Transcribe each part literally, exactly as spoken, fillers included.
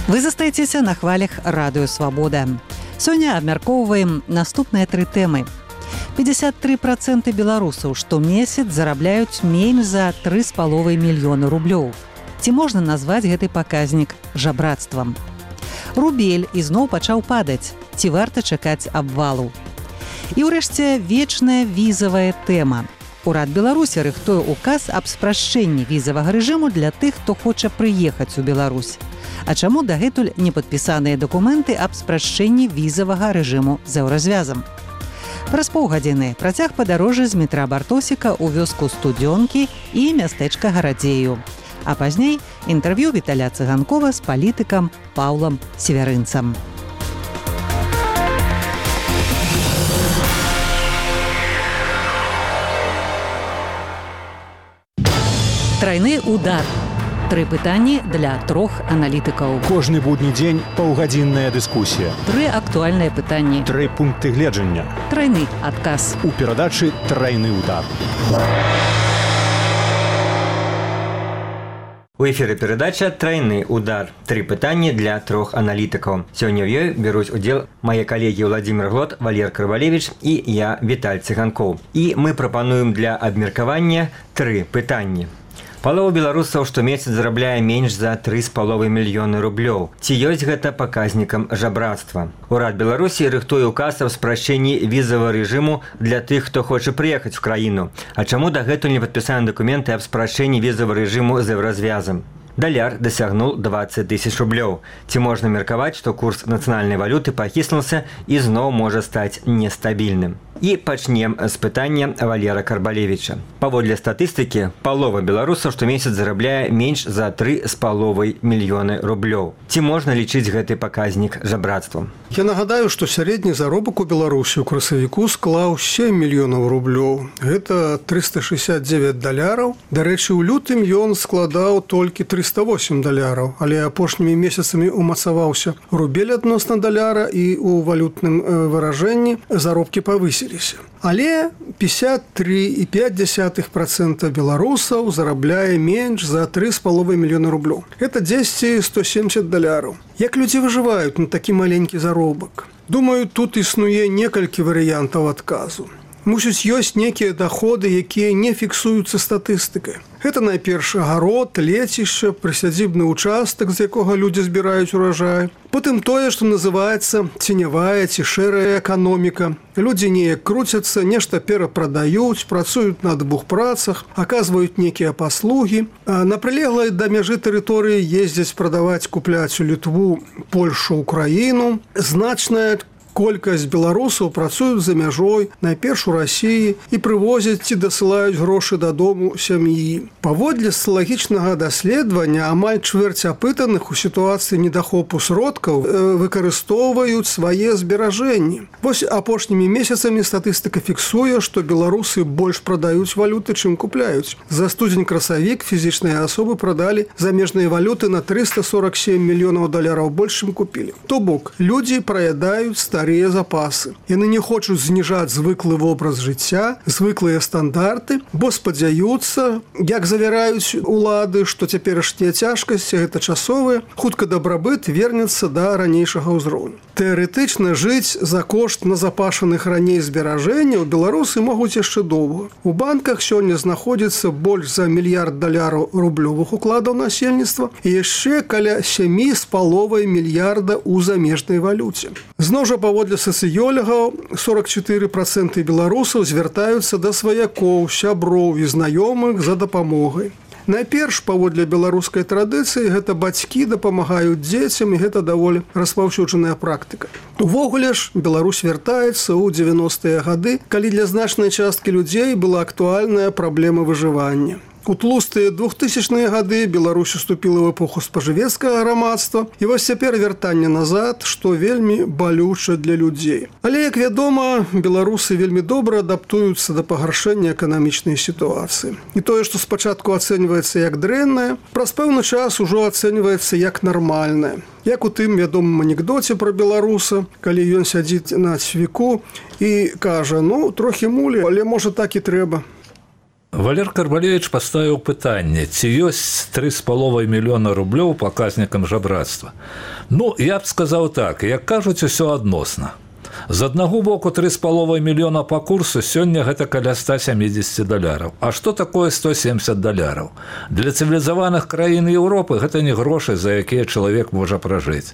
Вы застаецеся на хвалях радыё Свабода. Сёння абмяркоўваем наступныя тры тэмы. пятьдесят три процента беларусаў штомесяц зарабляюць менш за тры з паловай мільёны рублёў. Ці можна назваць гэты паказнік жабрацтвам? Рубель ізноў пачаў падаць. Ці варта чакаць абвалу? І ўрэшце вечная візавая тэма. Урад Беларусі рыхтуе указ аб спрашчэнні візавага рэжыму для тых, хто хоча прыехаць у Беларусь. А чаму дагэтуль не падпісаныя дакументы аб спрашчэнні візавага рэжыму з еўразвязам? Праз паўгадзіны працяг падарожжа з метра Бартосіка ў вёску Студзёнкі і мястэчка Гарадзею. А пазней інтэрв'ю Віталя Цыганкова з палітыкам Паўлам Севярынцам. Трайны удар. Тры пытанні для трох аналітыкаў. Кожны будні дзень паўгадзінная дыскусія. Тры актуальныя пытанні. Тры пункты гледжання. Трайны адказ. У перадачы «Трайны удар». У эфіры перадача «Трайны удар». Тры пытанні для трох аналітыкаў. Сёння ў ёй бяруць удзел мае калегі Владзімір Глот, Валер Карвалевіч і я, Віталь Цыганкоў. І мы прапануем для абмеркавання тры пытанні. Палова беларусаў штомесяц зарабляе менш за тры з паловай мільёны рублёў. Ці ёсць гэта паказнікам жабрацтва? Урад Беларусі рыхтуе указ аб спрашчэнні візавага рэжыму для тых, хто хоча прыехаць у краіну. А чаму дагэтуль не падпісаны дакументы аб спрашчэнні візавага рэжыму з еўразвязам? Даляр дасягнуў дваццаць тысяч рублёў. Ці можна меркаваць, што курс нацыянальнай валюты пахіснулся і зноў можа стаць нестабільным? І пачнем з пытання Валера Карбалевіча. Паводле статыстыкі, палова беларусаў штомесяц зарабляе менш за тры з паловай мільёны рублёў. Ці можна лічыць гэты паказнік жабрацтвам? Я нагадаю, што сярэдні заробак у Беларусі ў красавіку склаў сем мільёнаў рублёў. Гэта трыста шэсцьдзесят дзевяць даляраў. Дарэчы, у лютым ён складаў толькі трыста восем даляраў, але апошнімі месяцамі умацаваўся рубель адносна даляра і ў валютным выражэнні заробкі павысілі. Але пятьдесят три і пять десятых процента беларусаў зарабляе менш за тры з паловай мільёна рублёў. Это дзесьці сто семьдесят даляраў. Як людзі выжываюць на такі маленькі заробак? Думаю, тут існуе некалькі варыянтаў адказу. Мусіць, ёсць нейкія даходы, якія не фіксуюцца статыстыкай. Гэта найперш агарод, лецішча, прысядзібны участак, з якога людзі збіраюць уражай. Потым тое, што называецца ценявая ці шэрая эканоміка. Людзі неяк круцяцца, нешта перапрадаюць, працуюць на двух працах, аказваюць нейкія паслугі. А на прылеглай да мяжы тэрыторыі ездзяць прадаваць, купляць у Літву, Польшу, Украіну. Значная колькасць беларусаў працуюць за мяжой, найперш у Расіі, і прывозяць ці дасылаюць грошы дадому сям'і. Паводле сацыялагічнага даследавання амаль чвэрць апытаных у сітуацыі недахопу сродкаў выкарыстоўваюць свае зберажэнні. Вось апошнімі месяцамі статыстыка фіксуе, што беларусы больш прадаюць валюты, чым купляюць. За студзень-красавік фізічныя асобы прадалі замежныя валюты на трыста сорок сем мільёнаў даляраў больш, чым купілі. То бок, людзі праядаюць старыя запасы. Яны не хочуць зніжаць звыклы вобраз жыцця, звыклыя стандарты, бо спадзяюцца, як завяраюць улады, што цяперашнія цяжкасці гэта часовыя, хутка дабрабыт вернецца да ранейшага ўзроўню. Тэарэтычна жыць за кошт назапашаных раней зберажэнняў беларусы могуць яшчэ доўга. У банках сёння знаходзіцца больш за мільярд даляраў рублёвых укладаў насельніцтва і яшчэ каля сем з паловай мільярда ў замежнай валюце. Зноў жа паводле сацыёлагаў сорок чатыры проценты беларусаў звяртаюцца да сваякоў, сяброў і знаёмых за дапамогай. Найперш, паводле беларускай традыцыі, гэта бацькі дапамагаюць дзецям, і гэта даволі распаўсюджаная практыка. Увогуле ж, Беларусь вяртаецца ў дзевяностыя гады, калі для значнай часткі людзей была актуальная праблема выжывання. У тлустыя двухтысячныя гады Беларусь уступіла ў эпоху спажывецкага грамадства, і вось цяпер вяртанне назад, што вельмі балюча для людзей. Але, як вядома, беларусы вельмі добра адаптуюцца да пагаршэння эканамічнай сітуацыі. І тое, што спачатку ацэньваецца як дрэннае, праз пэўны час ужо ацэньваецца як нармальнае. Як у тым вядомым анекдоце пра беларуса, калі ён сядзіць на цвіку і кажа: «Ну, трохі мулі, але можа так і трэба». Валер Карвалевич поставіў пытанне, ці ёсць тры з паловай мільёна рублёў паказнікам жабрацтва. Ну, я б сказаў так, як кажуць, усё адносна. З аднаго боку тры з паловай мільёна па курсу сёння гэта каля ста сямідзесят даляраў. А што такое сто семьдесят даляраў? Для цывілізаваных краін Еўропы гэта не грошы, за якія чалавек можа пражыць.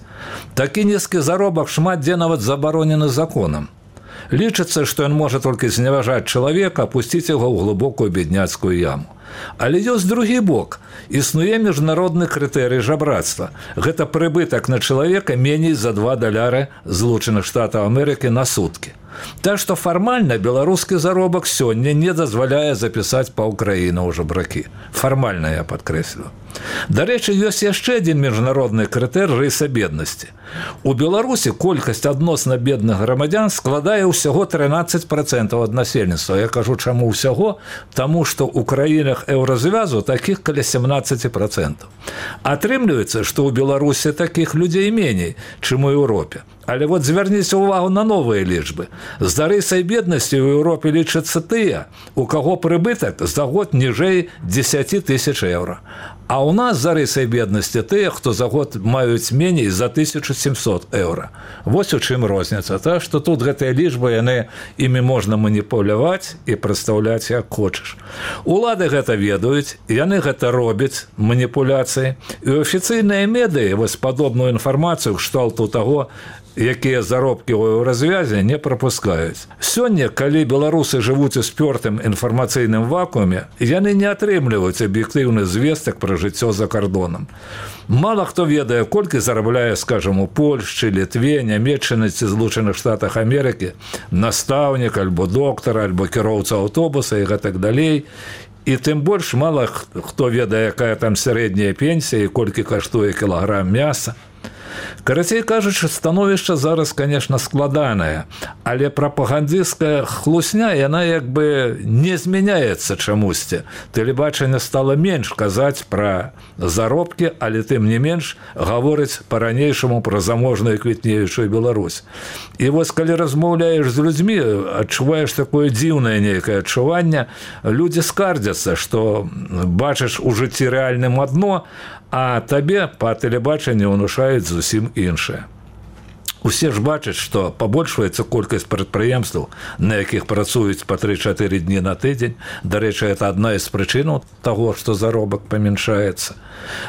Такі нізкі заробак шмат дзе нават забаронены законам. Лічыцца, што ён можа толькі зневажаць чалавека, апусціць яго ў глыбокую бедняцкую яму. Але ёсць другі бок. Існуе міжнародны крытэрый жабрацтва. Гэта прыбытак на чалавека меней за два даляры Злучаных Штатаў Амерыкі на суткі. Так што фармальна беларускі заробак сёння не дазваляе запісаць паўкраіны ў жабракі. Фармальна я падкрэслю. Дарэчы, ёсць яшчэ адзін міжнародны крытэр рыса беднасці. У Беларусі колькасць адносна бедных грамадзян складае ўсяго трынаццаць працэнтаў ад насельніцтва. Я кажу, чаму ўсяго? Таму што ў краінах еўразвязу такіх каля семнаццаць працэнтаў. Атрымліваецца, што ў Беларусі такіх людзей меней, чым у Еўропе. Але вот звярніце ўвагу на новыя лічбы. За рысай беднасці ў Еўропе лічацца тыя, у каго прыбытак за год ніжэй дзесяць тысяч еўра. А ў нас за рысай беднасці тыя, хто за год маюць меней за тысячу сямсот еўра. Вось у чым розніца. Так што тут гэтыя лічбы, яны імі можна маніпуляваць і прадстаўляць як хочаш. Улады гэта ведаюць, яны гэта робяць, маніпуляцыі. І афіцыйныя медыі вось падобную інфармацыю кшталту таго, якія заробкі ў развязе не прапускаюць. Сёння, калі беларусы жывуць у спёртым інфармацыйным вакууме, яны не атрымліваюць аб'ектыўны звестак пра жыццё за кардонам. Мала хто ведае, колькі зарабляе, скажам, у Польшчы, Літве, Нямецчыны ці Злучаных Штатах Амерыкі настаўнік, альбо доктар, альбо кіроўца аўтобуса і гэтак далей. І тым больш мала хто ведае, якая там сярэдняя пенсія і колькі каштуе кілаграм мяса. Карацей кажучы, становішча зараз, конечно, складанае, але прапагандысцкая хлусня, яна як бы не змяняецца чамусьці. Тэлебачанне стала менш казаць пра заробкі, але тым не менш гаворыць па-ранейшаму пра заможную квітнеючую Беларусь. І вось калі размаўляеш з людзьмі, адчуваеш такое дзіўнае нейкае адчуванне, людзі скардзяцца, што бачыш у жыцці рэальным адно, а табе па тэлебачанні ўнушаюць зусім іншае. Усе ж бачаць, што пабольшваецца колькасць прадпрыемстваў, на якіх працуюць па тры-чатыры дні на тыдзень. Дарэчы, гэта адна з прычынаў таго, што заробак памяншаецца.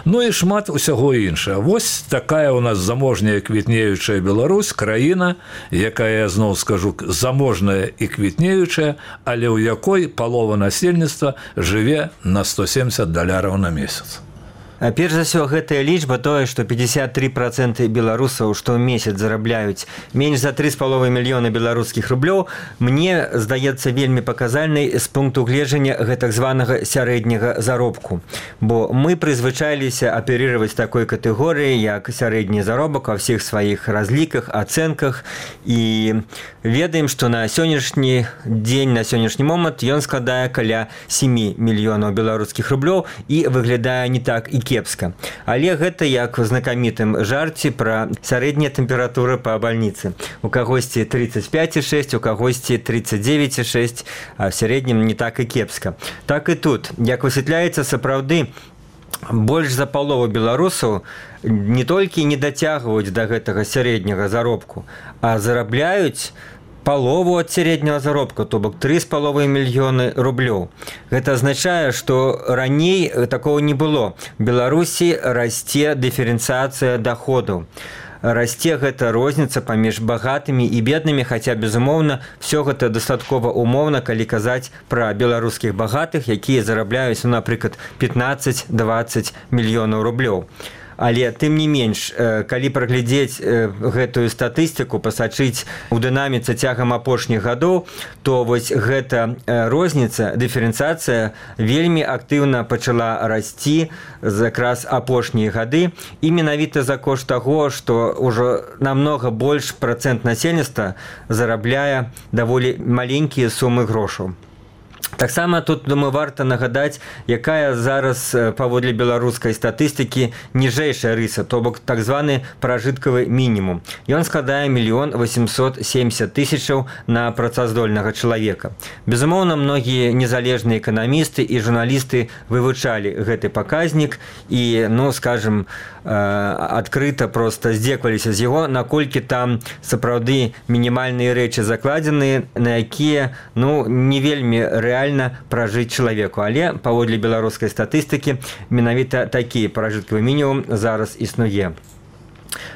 Ну і шмат усяго іншае. Вось такая ў нас заможная квітнеючая Беларусь, краіна, якая, я зноў скажу, заможная і квітнеючая, але ў якой палова насельніцтва жыве на сто семьдесят даляраў на месяц. А перш за ўсё, гэтая лічба тое, што пятьдесят три процента беларусаў штомесяц зарабляюць менш за тры з паловай мільёна беларускіх рублёў, мне здаецца вельмі паказальнай з пункту гледжання гэтак званага сярэдняга заробку. Бо мы прызвычаіліся аперировать такой катэгорыі, як сярэдні заробак ва ўсіх сваіх разліках, ацэнках, і ведаем, што на сённяшні дзень, на сённяшні момант ён складае каля сем мільёнаў беларускіх рублёў і выглядае не так і кепска. Але гэта як у знакамітым жарце пра сярэднія тэмпературы па бальніцы. У кагосьці тридцать пять и шесть, у кагосьці тридцать девять и шесть, а в сярэднім не так і кепска. Так і тут, як высвятляецца, сапраўды, больш за палову беларусаў не толькі не дацягваюць да гэтага сярэдняга заробку, а зарабляюць палову ад сярэдняга заробка, то бок тры з паловай мільёны рублёў. Гэта азначае, што раней такого не было. В Беларусі расце дыферэнцыяцыя даходаў. Расце гэта розніца паміж багатымі і беднымі, хаця, безумоўна, все гэта дастаткова умоўна, калі казаць пра беларускіх багатых, якія зарабляюць, ну, напрыклад, пятнаццаць-дваццаць мільёнаў рублёў. Але тым не менш, калі праглядзець гэтую статыстыку, пасачыць у дынаміцы цягам апошніх гадоў, то вось гэта розніца, дыферэнцыяцыя вельмі актыўна пачала расці якраз апошнія гады, і менавіта за кошт таго, што ўжо намнога больш працэнт насельніцтва зарабляе даволі маленькія сумы грошаў. Таксама тут, думаю, варта нагадаць, якая зараз паводле беларускай статыстыкі ніжэйшая рыса, то бок так званы пражыткавы мінімум. Ён складае мільён восемьсот семьдесят тысячаў на працаздольнага чалавека. Безумоўна, многія незалежныя эканамісты і журналісты вывучалі гэты паказнік і, ну, скажем, адкрыта проста здзекваліся з яго, наколькі там сапраўды мінімальныя рэчы закладзеныя, на якія, ну, не вельмі рэальна пражыць чалавеку. Але паводле беларускай статыстыкі менавіта такі пражыткавы мінімум зараз існуе.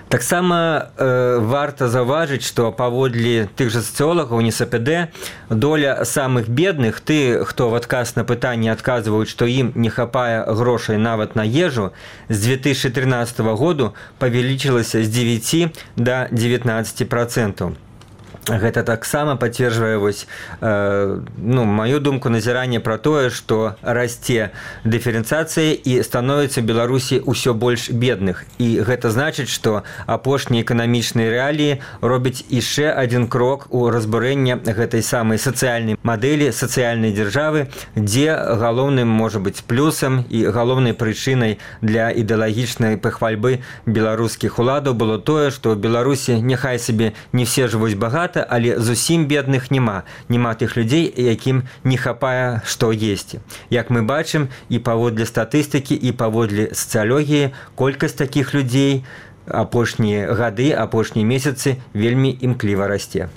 Таксама э, варта заўважыць, што паводле тых жа сацыолагаў эн эс пэ дэ доля самых бедных, ты, хто в адказ на пытанне адказваюць, што ім не хапае грошай нават на ежу, з две тысячи тринадцатого году павялічылася з дзевяці да дзевятнаццаці працэнтаў. Гэта таксама пацверджвае вось, э, ну, маю думку, назіранне пра тое, што расце дыферэнцыяцыя і становіцца ў Беларусі ўсё больш бедных. І гэта значыць, што апошнія эканамічныя рэаліі робяць яшчэ адзін крок у разбурэнне гэтай самай сацыяльнай мадэлі, сацыяльнай дзяржавы, дзе галоўным можа быць плюсам і галоўнай прычынай для ідэалагічнай пахвальбы беларускіх уладаў было тое, што ў Беларусі няхай сабе не все жывуць багата, але зусім бедных няма. Няма тых людзей, якім не хапае што есці. Як мы бачым, і паводле статыстыкі, і паводле сацыялогіі, колькасць такіх людзей апошнія гады, апошнія месяцы вельмі імкліва расце.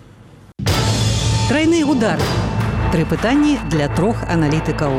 Трайны удар. Тры пытанні для трох аналітыкаў.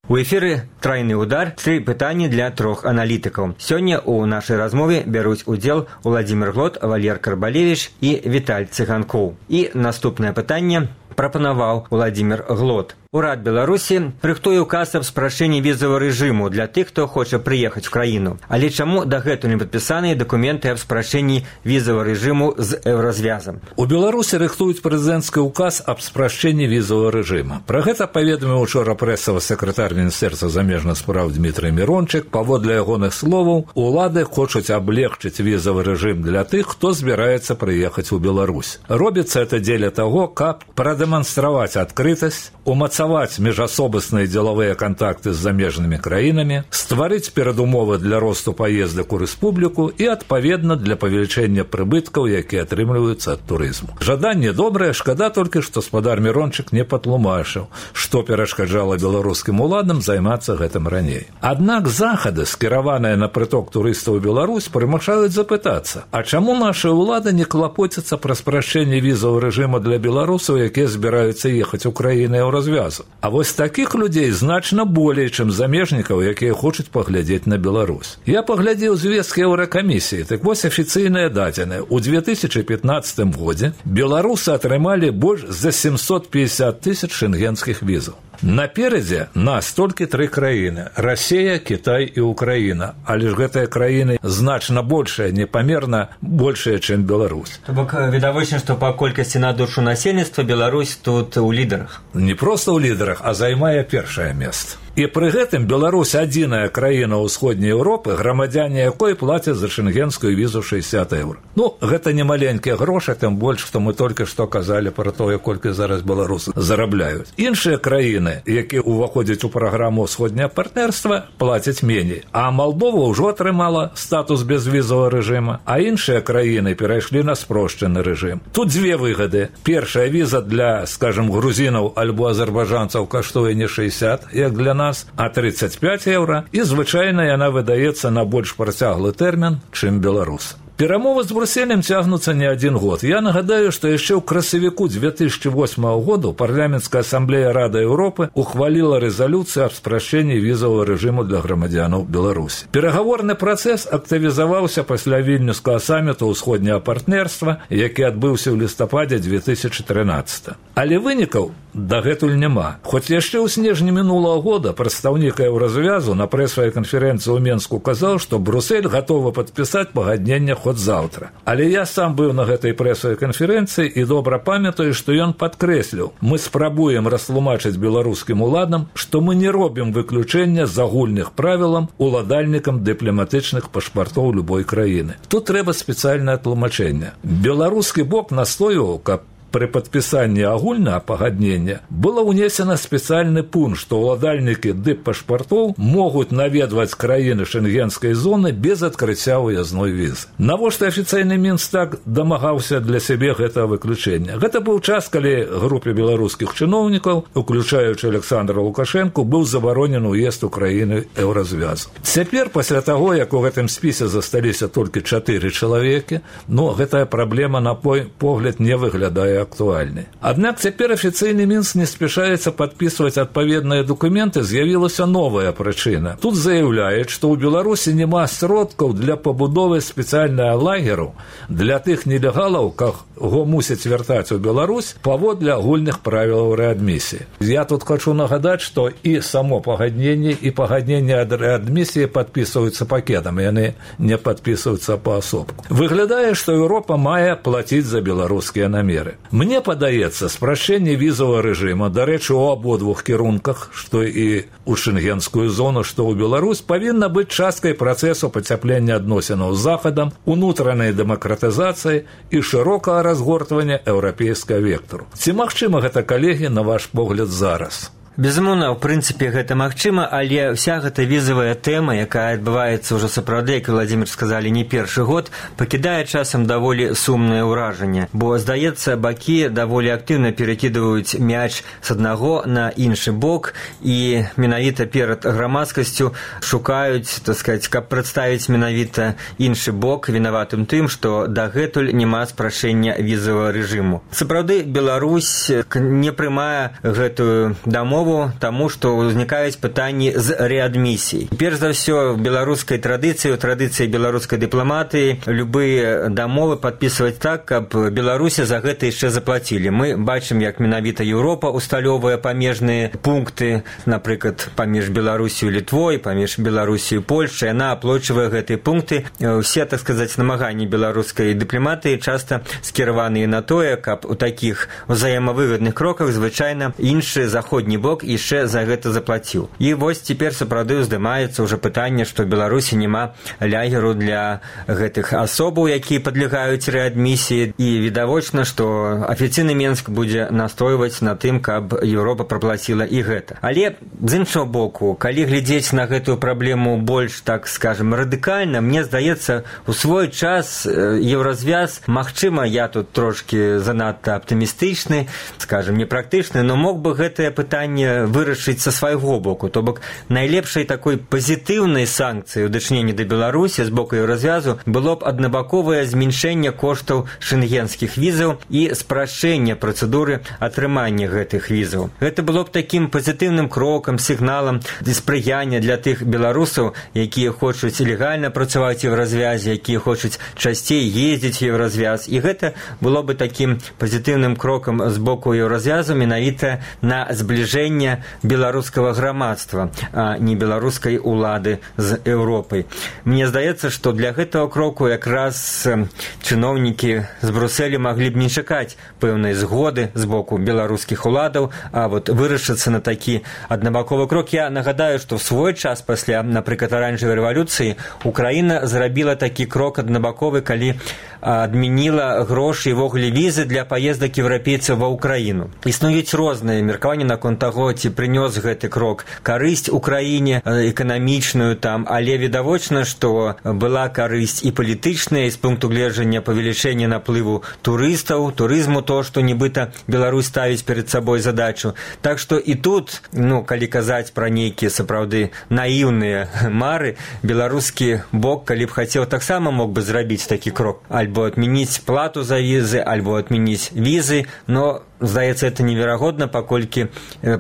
У эфіры «Трайны удар» тры пытанні для трох аналітыкаў. Сёння ў нашай размове бяруць удзел Уладзімір Глот, Валер Карбалевіч і Віталь Цыганкоў. І наступнае пытанне прапанаваў Уладзімір Глот. Урад Беларусі рыхтуе указ аб спрашчэнні візавага рэжыму для тых, хто хоча прыехаць у краіну. Але чаму дагэтуль не падпісаныя дакументы аб спрашчэнні візавага рэжыму з еўразвязам? У Беларусі рыхтуюць прэзідэнцкі указ аб спрашчэнні візавага рэжыма. Пра гэта паведаміў учора прэсавы сакратар Міністэрства замежных спраў Дмітрый Мірончык. Паводле ягоных словаў, улады хочуць аблегчыць візавы рэжым для тых, хто збіраецца прыехаць у Беларусь. Робіцца это дзеля таго, каб прадэманстраваць адкрытасць, умацаваць міжасобасныя дзелавыя кантакты з замежнымі краінамі, стварыць перадумовы для росту паездак у рэспубліку і, адпаведна, для павелічэння прыбыткаў, якія атрымліваюцца ад турызму. Жаданне добрае, шкада толькі, што спадар Мірончык не патлумачыў, што перашкаджала беларускім уладам займацца гэтым раней. Аднак захады, скіраваныя на прыток турыстаў у Беларусь, прымушаюць запытацца, а чаму нашы ўлады не клапоцяцца пра спрашчэнне візавага рэжыму для беларусаў, якія збіраюцца ехаць у краіны развязу. А вось такіх людзей значна болей, чым замежнікаў, якія хочуць паглядзець на Беларусь. Я паглядзеў звесткі Еўракамісіі, так вось афіцыйныя дадзеныя. У две тысячи пятнадцатым годзе беларусы атрымалі больш за семьсот пятьдесят тысяч шенгенскіх візаў. Наперадзе нас толькі тры краіны: Расія, Кітай і Украіна. Але ж гэтыя краіны значна большая, непамерна большая, чым Беларусь. То бок відавочна, што па колькасці на душу насельніцтва Беларусь тут у лідарах. Не проста ў лідарах, а займае першае месца. І пры гэтым Беларусь адзіная краіна ўсходняй Еўропы, грамадзяне якой плацяць за шенгенскую візу шэсцьдесят еўра. Ну, гэта не маленькія грошы, тым больш, што мы толькі што казалі пра тое, колькі зараз беларусы зарабляюць. Іншыя краіны, якія ўваходзяць у праграму ўсходняе партнерства, плацяць меней. А Малдова ўжо атрымала статус безвізавага рэжыма, а іншыя краіны перайшлі на спрошчаны рэжым. Тут дзве выгады. Першая віза для, скажем, грузінаў альбо азербайджанцаў каштуе не шэсцьдесят, як для нас, а тридцать пять еўра, і звычайна яна выдаецца на больш працяглы тэрмін, чым беларус. Перамовы з Брюсселем цягнуцца не адзін год. Я нагадаю, што яшчэ ў красавіку две тысячи восьмого году парламенцкая асамблея Рады Еўропы ухваліла рэзалюцыю аб спрашчэнні візавага рэжыму для грамадзянаў Беларусі. Перагаворны працэс актывізаваўся пасля вільнюскага саміту ўсходняга партнерства, які адбыўся ў лістападзе две тысячи тринадцатого. Але вынікаў дагэтуль няма. Хоць яшчэ ў снежні мінулага года прадстаўнік еўразвязу на прэсавай канферэнцыі ў Менску казаў, што Брюссель гатовы падпісаць пагадненне хоть заўтра. Але я сам быў на гэтай прэсавай канферэнцыі і добра памятаю, што ён падкрэсліў: мы спрабуем растлумачыць беларускім уладам, што мы не робім выключэння з агульных правілам уладальнікам дыпламатычных пашпартоў любой краіны. Тут трэба спецыяльнае тлумачэнне. Беларускі бок настойваў, каб пры падпісанні агульнага пагаднення было ўнесена спецыяльны пункт, што ўладальнікі дып-пашпартоў могуць наведваць краіны шенгенскай зоны без адкрыцця ўязной візы. Навошта афіцыйны Мінск так дамагаўся для сябе гэтага выключэння? Гэта быў час, калі групе беларускіх чыноўнікаў, уключаючы Александра Лукашэнку, быў забаронены ўезд у краіны еўразвязу. Цяпер, пасля таго, як у гэтым спісе засталіся толькі чатыры чалавекі, но гэтая праблема, на мой погляд, не выглядае актуальнай. Аднак цяпер афіцыйны Мінск не спяшаецца падпісваць адпаведныя дакументы, з'явілася новая прычына. Тут заяўляюць, што ў Беларусі няма сродкаў для пабудовы спецыяльнага лагеру для тых нелегалаў, каго мусяць вяртаць у Беларусь паводле агульных правілаў рэадмісіі. Я тут хочу нагадаць, што і само пагадненне, і пагадненне ад рэадмісіі падпісваюцца пакетам, яны не падпісваюцца паасобку. Выглядае, што Еўропа мае плаціць за беларускія намеры. Мне падаецца, спрашчэнне візавага рэжыма, дарэчы, у абодвух кірунках, што і ў шенгенскую зону, што ў Беларусь, павінна быць часткай працэсу пацяплення адносінаў з Захадам, унутранай дэмакратызацыі і шырокага разгортвання еўрапейскага вектару. Ці магчыма гэта, калегі, на ваш погляд, зараз? Безумоўна, ў прынцыпе, гэта магчыма, але вся гэта візавая тэма, якая адбываецца ўжо сапраўды, як Владзімир сказалі, не першы год, пакідае часам даволі сумнае ўражанне. Бо, здаецца, бакі даволі актыўна перакідваюць мяч з аднаго на іншы бок і менавіта перад грамадскасцю шукаюць, так сказаць, каб прадставіць менавіта іншы бок вінаватым тым, што дагэтуль няма спрашэння візавага рэжыму. Сапраўды, Беларусь не прымае гэтую дамову, таму, што ўзнікаюць пытанні з рэадмісіяй. Перш за ўсё, в беларускай традыцыі, у традыцыі беларускай дыпламатыі любыя дамовы падпісваць так, каб Беларусі за гэта яшчэ заплацілі. Мы бачым, як менавіта Еўропа усталёўвае памежныя пункты, напрыклад, паміж Беларусію і Літвой, паміж Беларусію і Польшчай, яна аплочвае гэтыя пункты. Усе, так сказаць, намаганні беларускай дыпламатыі часта скіраваныя на тое, каб у такіх взаемавыгадных кроках звычайна іншы заходні бок яшчэ за гэта заплаціў. І вось цяпер сапраўды ўздымаецца ўжо пытанне, што ў Беларусі няма лягеру для гэтых асобаў, якія падлягаюць рэадмісіі, і відавочна, што афіцыйны Мінск будзе настойваць на тым, каб Еўропа праплаціла і гэта. Але з іншага боку, калі глядзець на гэтую праблему больш, так скажем, радыкальна, мне здаецца, у свой час еўразвяз, магчыма, я тут трошки занадта аптымістычны, скажем, непрактычны, но мог бы гэтае пытанне вырашыць са свайго боку. То бок, найлепшай такой пазітыўнай санкцыяй у дачыненні да Беларусі з боку еўразвязу было б аднабаковае зменшэнне коштаў шенгенскіх візаў і спрашчэнне працэдуры атрымання гэтых візаў. Гэта было б такім пазітыўным крокам, сігналам спрыяння для тых беларусаў, якія хочуць легальна працаваць у еўразвязе, якія хочуць часцей ездзіць у еўразвяз. І гэта было бы такім пазітыўным крокам з боку еўразвязу менавіта на збліжэнне беларускага грамадства, а не беларускай улады з Еўропай. Мне здаецца, што для гэтага кроку якраз чыноўнікі з Брусэлі маглі б не чакаць пэўнай згоды з боку беларускіх уладаў, а вот вырашыцца на такі аднабаковы крок. Я нагадаю, што в свой час пасля, напрыклад, аранжавай рэвалюцыі Украіна зрабіла такі крок аднабаковы, калі адмяніла грошы і вогуле візы для паездак еўрапейцаў ва Украіну. Існуюць розныя меркаванні наконт таго, ці прынёс гэты крок карысць Украіне эканамічную там, але відавочна, што была карысць і палітычная, і з пункту гледжання павелічэння наплыву турыстаў, турызму, то, што нібыта Беларусь ставіць перад сабой задачу. Так што і тут, ну, калі казаць пра нейкія сапраўды наіўныя мары, беларускі бок, калі б хацеў, таксама мог бы зрабіць такі крок. Альбо адмяніць плату за візы, альбо адмяніць візы, но здаецца, это неверагодна, паколькі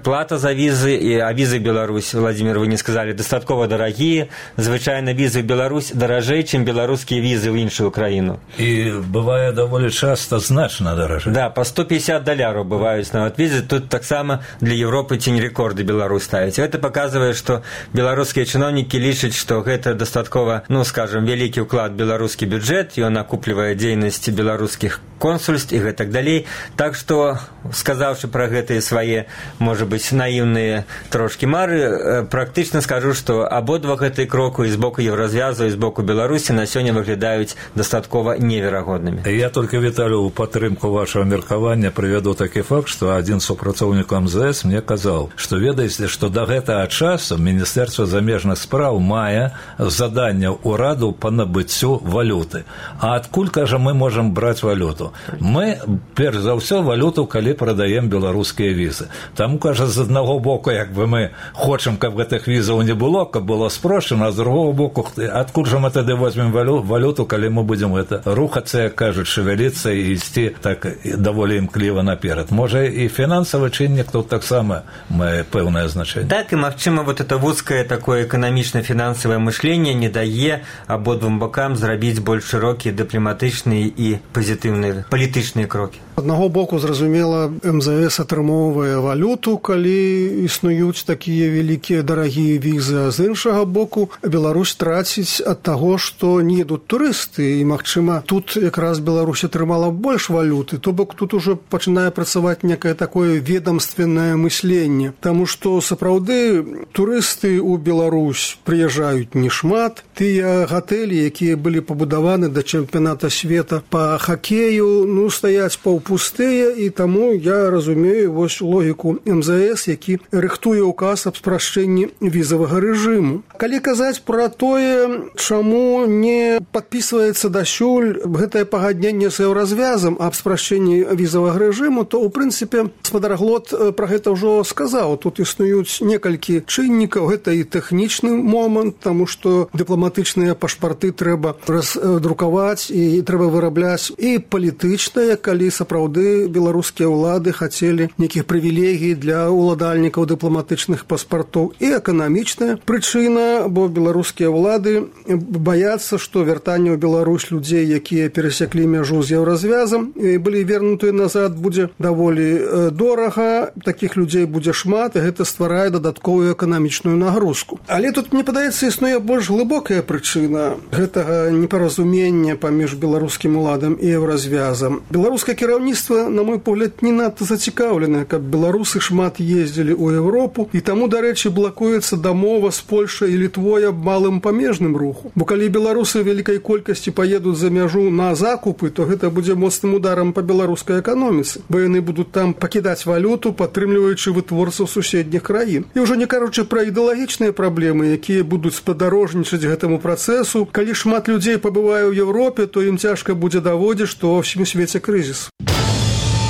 плата за візы, і, а візы Беларусь, Владзімир, вы не сказалі, дастаткова дарагія. Звычайна візы ў Беларусь даражэй, чым беларускія візы ў іншую краіну. І бывае даволі часта значна даражэй. Да, па сто пятьдесят даляраў бываюць нават візы. Тут таксама для Еўропы цень рэкорды Беларусь ставіць. Гэта паказвае, што беларускія чыноўнікі лічаць, што гэта дастаткова, ну, скажем, вялікі ўклад беларускі бюджэт, ён акуплівае дзейнасць беларускіх консульств і гэтак далей. Так што сказаўшы пра гэтыя свае, можа быць, наіўныя трошкі мары, практычна скажу, што абодва гэтыя кроку і з боку Еўразвязу, і з боку Беларусі на сёння выглядаюць дастаткова неверагоднымі. Я толькі, Віталю, у падтрымку вашего меркавання прывяду такі факт, што адзін супрацоўнік эм зэ эс мне казаў, што ведаеце, што да гэтага часу Міністэрства замежных спраў мае заданне ўраду па набыццю валюты. А адкуль, кажа, мы можам браць валюту? Мы, перш за ўсё, валюту, калі прадаем беларускія візы. Таму, кажа, з аднаго боку, як бы мы хочам, каб гэтых візаў не было, каб было спрошчана, а з другого боку, адкуль жа мы тады возьмем валюту, калі мы будзем гэта рухацца, як кажуць, шевеліцца і ісці так даволі імкліва наперад. Можа, і фінансавы чыннік тут таксама мае пэўнае значэнне. Так, і, магчыма, вот это вузкае такое эканамічна-фінансавае мышленне не дае абодвум бокам зрабіць больш шырокія дыпламатычныя і пазітыўныя палітычныя крокі. Аднаго боку, зразумела, эм зэ эс атрымоўвае валюту, калі існуюць такія вялікія дарагія візы, а з іншага боку, Беларусь траціць ад таго, што не ідуць турысты, і, магчыма, тут якраз Беларусь атрымала больш валюты, то бок тут ужо пачынае працаваць некае такое ведомственнае мысленне, таму што сапраўды турысты ў Беларусь прыязджаюць не шмат, тыя гатэлі, якія былі пабудаваны да чэмпіяната света па хакею, ну, стаяць паўпустыя, і таму я разумею вось логіку эм зэ эс, які рыхтуе ўказ аб спрашчэнні візавага рэжыму. Калі казаць пра тое, чаму не падпісваецца дасюль гэтае пагадненне з еўразвязам аб спрашчэнні візавага рэжыму, то, у прынцыпе, спадар Глот пра гэта ўжо сказаў. Тут існуюць некалькі чыннікаў. Гэта і тэхнічны момант, таму што дыпламатычныя пашпарты трэба раздрукаваць і трэба вырабляць, і палітычныя, калі сапраўды беларускія ўлады хацелі нейкіх прывілегій для ўладальнікаў дыпламатычных паспартоў, і эканамічная прычына, бо беларускія ўлады баяцца, што вяртанне ў Беларусь людзей, якія перасеклі мяжу з еўразвязам і былі вернутыя назад, будзе даволі дорага, такіх людзей будзе шмат, і гэта стварае дадатковую эканамічную нагрузку. Але тут, мне падаецца, існуе больш глыбокая прычына гэтага непаразумення паміж беларускім уладам і еўразвязам. Беларускае кіраўніцтва, на мой погляд, не надта зацікаўленае, каб беларусы шмат ездзілі ў Еўропу, і таму, дарэчы, блакуецца дамова з Польшай і Літвой аб малым памежным руху. Бо калі беларусы вялікай колькасці паедуць за мяжу на закупы, то гэта будзе моцным ударам па беларускай эканоміцы, бо яны будуць там пакідаць валюту, падтрымліваючы вытворцаў суседніх краін. І ўжо не кажучы пра ідэалагічныя праблемы, якія будуць спадарожнічаць гэтаму працэсу. Калі шмат людзей пабывае ў Еўропе, то ім цяжка будзе даводзіць, што ва ўсім свеце крызіс.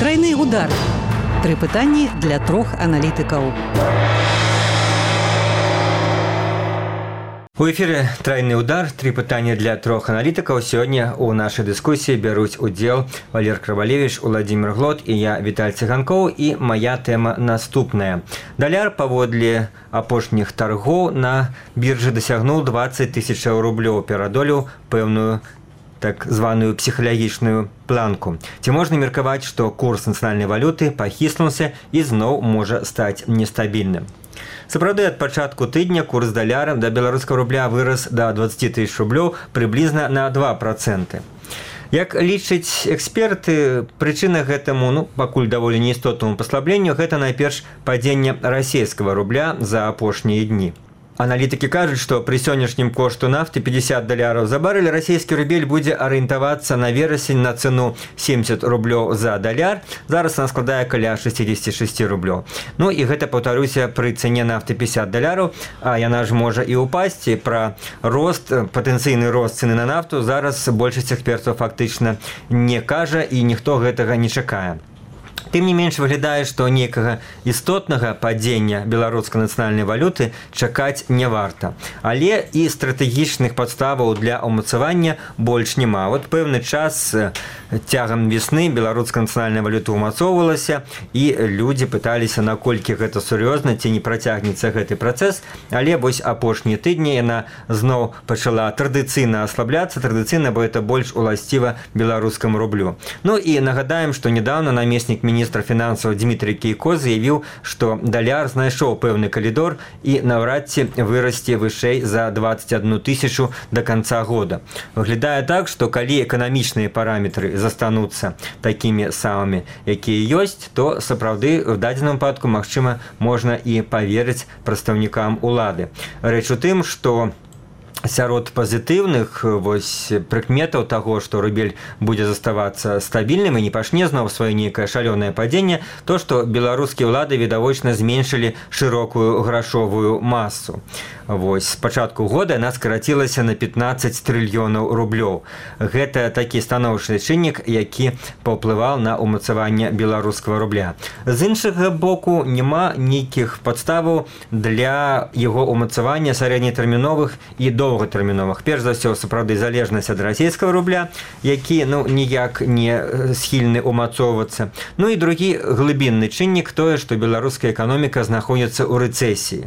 Тройны удар. Тры пытанні для трох аналітыкаў. У эфире «Тройны удар». Три пытания для трех аналитиков. Сегодня у нашей дискуссии берут удел Валер Крывалевич, Владимир Глот и я, Виталий Цыганков. И моя тема наступная. Даляр паводле апошніх торгов на бирже досягнул двадцать тысяч рублей, перадолеў пэўную так званую психалагічную планку. Ці можна меркаваць, што курс нацыянальнай валюты пахіснуўся і зноў можа стаць нестабільным. Сапраўды, ад пачатку тыдня курс даляра да беларускага рубля вырас да двадцать тысяч рублёў прыблізна на два проценты. Як лічаць эксперты, прычына гэтаму, ну, пакуль даволі неістотнаму паслабленню, гэта найперш падзенне расійскага рубля за апошнія дні. Аналітыкі кажуць, што пры сённяшнім кошту нафты пятьдесят даляраў за барэль расійскі рубель будзе арыентавацца на верасень на цэну семьдесят рублёў за даляр. Зараз она складае каля шестьдесят шесть рублёў. Ну і гэта, паўтаруся, пры цэне нафты пятьдесят даляраў, а яна ж можа і ўпасці. Пра рост, патэнцыйны рост цэны на нафту зараз большасць экспертаў фактычна не кажа, і ніхто гэтага не чакае. Тым не менш, выглядае, што некага істотнага падзення беларускай нацыянальнай валюты чакаць не варта. Але і стратэгічных падставаў для ўмацавання больш няма. Вот пэўны час цягам весны беларуская нацыянальная валюта ўмацоўвалася, і людзі пыталіся, наколькі гэта сур'ёзна, ці не працягнецца гэты працэс. Але вось апошнія тыдні яна зноў пачала традыцыйна аслабляцца, традыцыйна, бо это больш уласціва беларускаму рублю. Ну і нагадаем, што нядаўна намеснік міністра міністр фінансаў Дмітрий Кейко заявіў, што даляр знайшоў пэўны калідор і наўрад ці вырасце вышэй за двадцать одну тысячу до конца года. Выглядае так, што калі эканамічныя параметры застануцца такімі самымі, якія ёсць, то сапраўды в дадзеным выпадку, магчыма, можна і паверыць прадстаўнікам улады. Рэч у тым, што сярод пазітыўных вось прыкметаў таго, што рубель будзе заставацца стабільным і не пачне зноў сваё нейкае шалёнае падзенне, то, што беларускія ўлады відавочна зменшылі шырокую грашовую масу. Вось, з пачатку года яна скарацілася на пятнадцать трыльёнаў рублёў. Гэта такі станоўчы чыннік, які паўплываў на ўмацаванне беларускага рубля. З іншага боку, няма нейкіх падставаў для яго ўмацавання сярэднетэрміновых і доўгатэрміновых. Перш за ўсё, сапраўды, залежнасць ад расійскага рубля, які, ну, ніяк не схільны ўмацоўвацца. Ну і другі глыбінны чыннік тое, што беларуская эканоміка знаходзіцца ў рэцэсіі.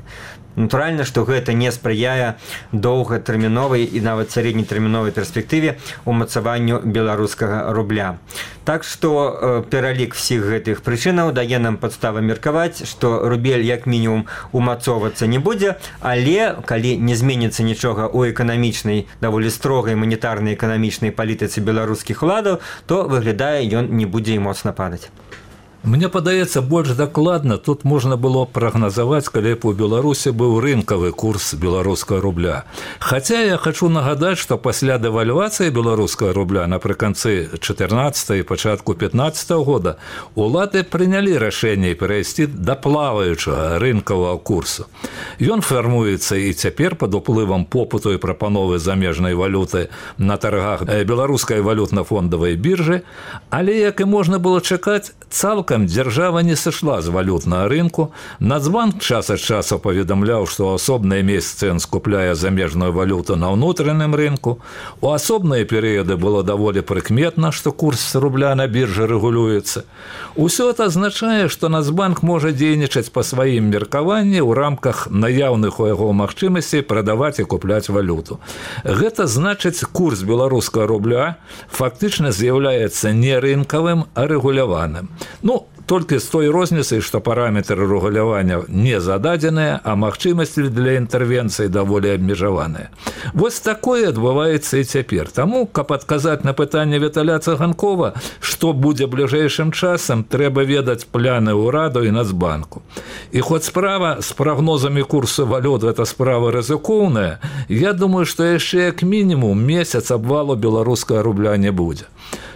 Натуральна, што гэта не спрыяе доўгатэрміновай і нават сярэднетэрміновай перспектыве ўмацаванню беларускага рубля. Так што э, пералік всіх гэтых прычынаў дае нам падставы меркаваць, што рубель як мінімум умацоўвацца не будзе, але калі не зменіцца нічога ў эканамічнай, даволі строгай манетарнай эканамічнай палітыцы беларускіх уладаў, то выглядае, ён не будзе і моцна падаць. Мне падаецца, больш дакладна тут можна было прагназаваць, калі б у Беларусі быў рынкавы курс беларускага рубля. Хаця я хочу нагадаць, што пасля дэвальвацыі беларускага рубля напрыканцы чатырнаццатага і пачатку пятнаццатага года улады прынялі рашэнне перайсці да плаваючага рынкавага курсу. Ён фармуецца і цяпер пад уплывам попыту і прапановы замежнай валюты на таргах беларускай валютна-фондавай біржы, але, як і можна было чакаць, цалкам дзяржава не сышла з валютнага рынку. Нацбанк час ад часу паведамляў, што ў асобныя месяцы ён скупляе замежную валюту на ўнутраным рынку. У асобныя перыяды было даволі прыкметна, што курс рубля на біржы рэгулюецца. Усё это азначае, што Нацбанк можа дзейнічаць па сваім меркаванні ў рамках наяўных у яго магчымасцей прадаваць і купляць валюту. Гэта значыць, курс беларускага рубля фактычна з'яўляецца не рынкавым, а рэгуляваным. Ну, толькі з той розніцай, што параметры рэгулявання не зададзеныя, а магчымасці для інтэрвенцыі даволі абмежаваныя. Вось такое адбываецца і цяпер. Таму, каб адказаць на пытанне Віталя Цыганкова, што будзе бліжэйшым часам, трэба ведаць пляны ўраду і Нацбанку. І хоць справа з прагнозамі курсу валют гэта справа рызыкоўная, я думаю, што яшчэ як мінімум месяц абвалу беларускага рубля не будзе.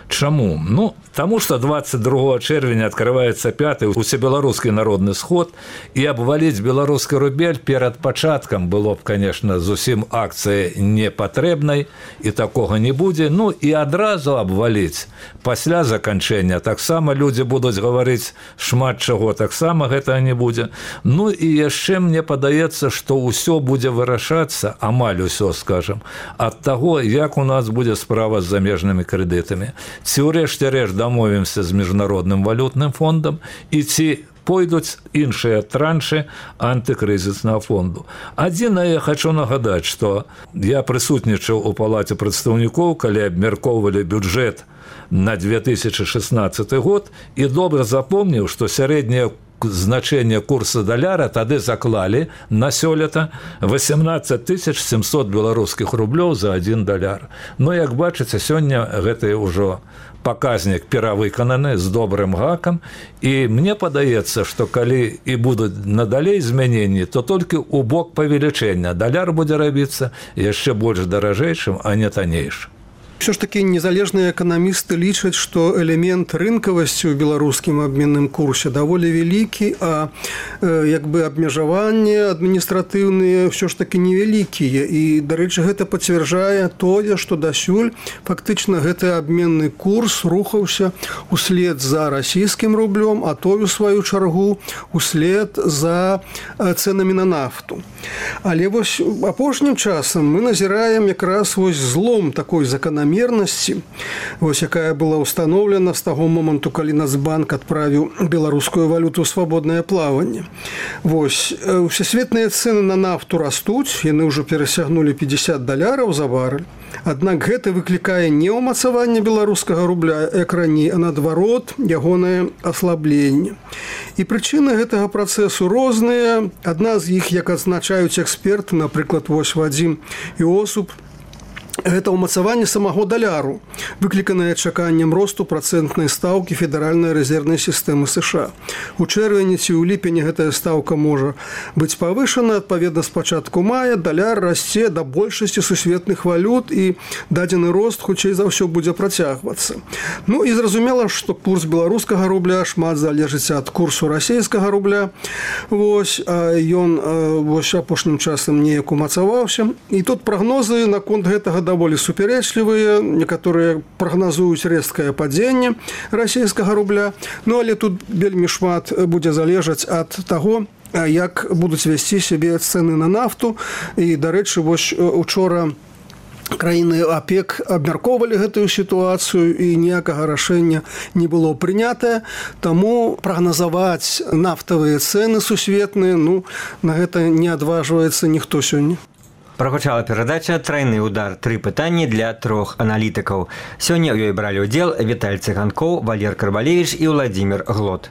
Чаму? Ну, таму што двадцать другого чэрвеня адкрываецца пяты усебеларускі народны сход, і абваліць беларускі рубель перад пачаткам было б, конечно, зусім акцыя непатрэбнай, і такога не будзе. Ну, і адразу абваліць пасля заканчэння таксама людзі будуць гаварыць шмат чаго, таксама гэта не будзе. Ну, і яшчэ мне падаецца, што ўсё будзе вырашацца, амаль усё, скажам, ад таго, як у нас будзе справа з замежнымі крэдытамі. Ці ўрэшце рэшт дамовімся з міжнародным валютным фондам, і ці пойдуць іншыя траншы антыкрызіснага фонду. Адзінае, я хочу нагадаць, што я прысутнічаў у палаце прадстаўнікоў, калі абмяркоўвалі бюджэт на две тысячи шестнадцатый год, і добра запомніў, што сярэдняе значэнне курса даляра тады заклалі на сёлета восемнадцать тысяч семьсот беларускіх рублёў за один даляр. Но, як бачыце, сёння гэта ўжо паказнік перавыкананы з добрым гакам, і мне падаецца, што калі і будуць надалей змяненні, то толькі ў бок павелічэння. Даляр будзе рабіцца яшчэ больш даражэйшым, а не таннейшым. Все ж таки незалежныя эканамісты лічаць, што элемент рынкавасці ў беларускім абменным курсе даволі вялікі, а э, як бы абмежаванні адміністратыўныя все ж таки невялікія. І, дарэчы, гэта пацвярджае тое, што дасюль фактычна гэты абменны курс рухаўся услед за расійскім рублём, а той, у сваю чаргу, услед за цэнамі на нафту. Але вось апошнім часам мы назіраем якраз вось злом такой заканамернасці, вось якая была ўстаноўлена з таго моманту, калі Нацбанк адправіў беларускую валюту ў свабоднае плаванне. Вось усесветныя цэны на нафту растуць, яны ўжо перасягнулі пятьдесят даляраў за барэль, Аднак гэта выклікае не ўмацаванне беларускага рубля, як раней, а наадварот, ягонае аслабленне. І прычыны гэтага працэсу розныя. Адна з іх, як адзначаюць эксперты, напрыклад, вось Вадзім Іосуп, гэта ўмацаванне самого даляру, выкліканае чаканнем росту працэнтнай стаўкі федэральнай рэзервнай сістэмы США. У чэрвені ці ў ліпені гэтая стаўка можа быць павышана. Адпаведна, з пачатку мая даляр расце да большасці сусветных валют, і дадзены рост хутчэй за ўсё будзе працягвацца. Ну і зразумела, што курс беларускага рубля шмат залежыць ад курсу расійскага рубля. Вось, а ён вось апошнім часам неяк умацаваўся. І тут прагнозы наконт гэтага даволі супярэчлівыя. Некаторыя прагназуюць рэзкае падзенне расійскага рубля. Ну, але тут вельмі шмат будзе залежаць ад таго, як будуць весці сябе цэны на нафту. І, дарэчы, вось учора краіны ОПЕК абмяркоўвалі гэтую сітуацыю, і ніякага рашэння не было прынятае. Таму прагназаваць нафтавыя цэны сусветныя, ну, на гэта не адважваецца ніхто сёння. Прагучала перадача «Трайны удар. Тры пытанні для трох аналітыкаў». Сёння ў ёй бралі ўдзел Віталь Цыганкоў, Валер Карбалевіч і Владзімір Глот.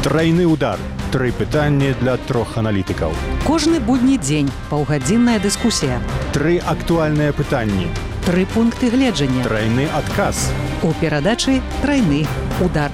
Трайны удар. Тры пытанні для трох аналітыкаў. Кожны будні дзень паўгадзінная дыскусія. Тры актуальныя пытанні. Тры пункты гледжання. Трайны адказ. У перадачы «Трайны удар».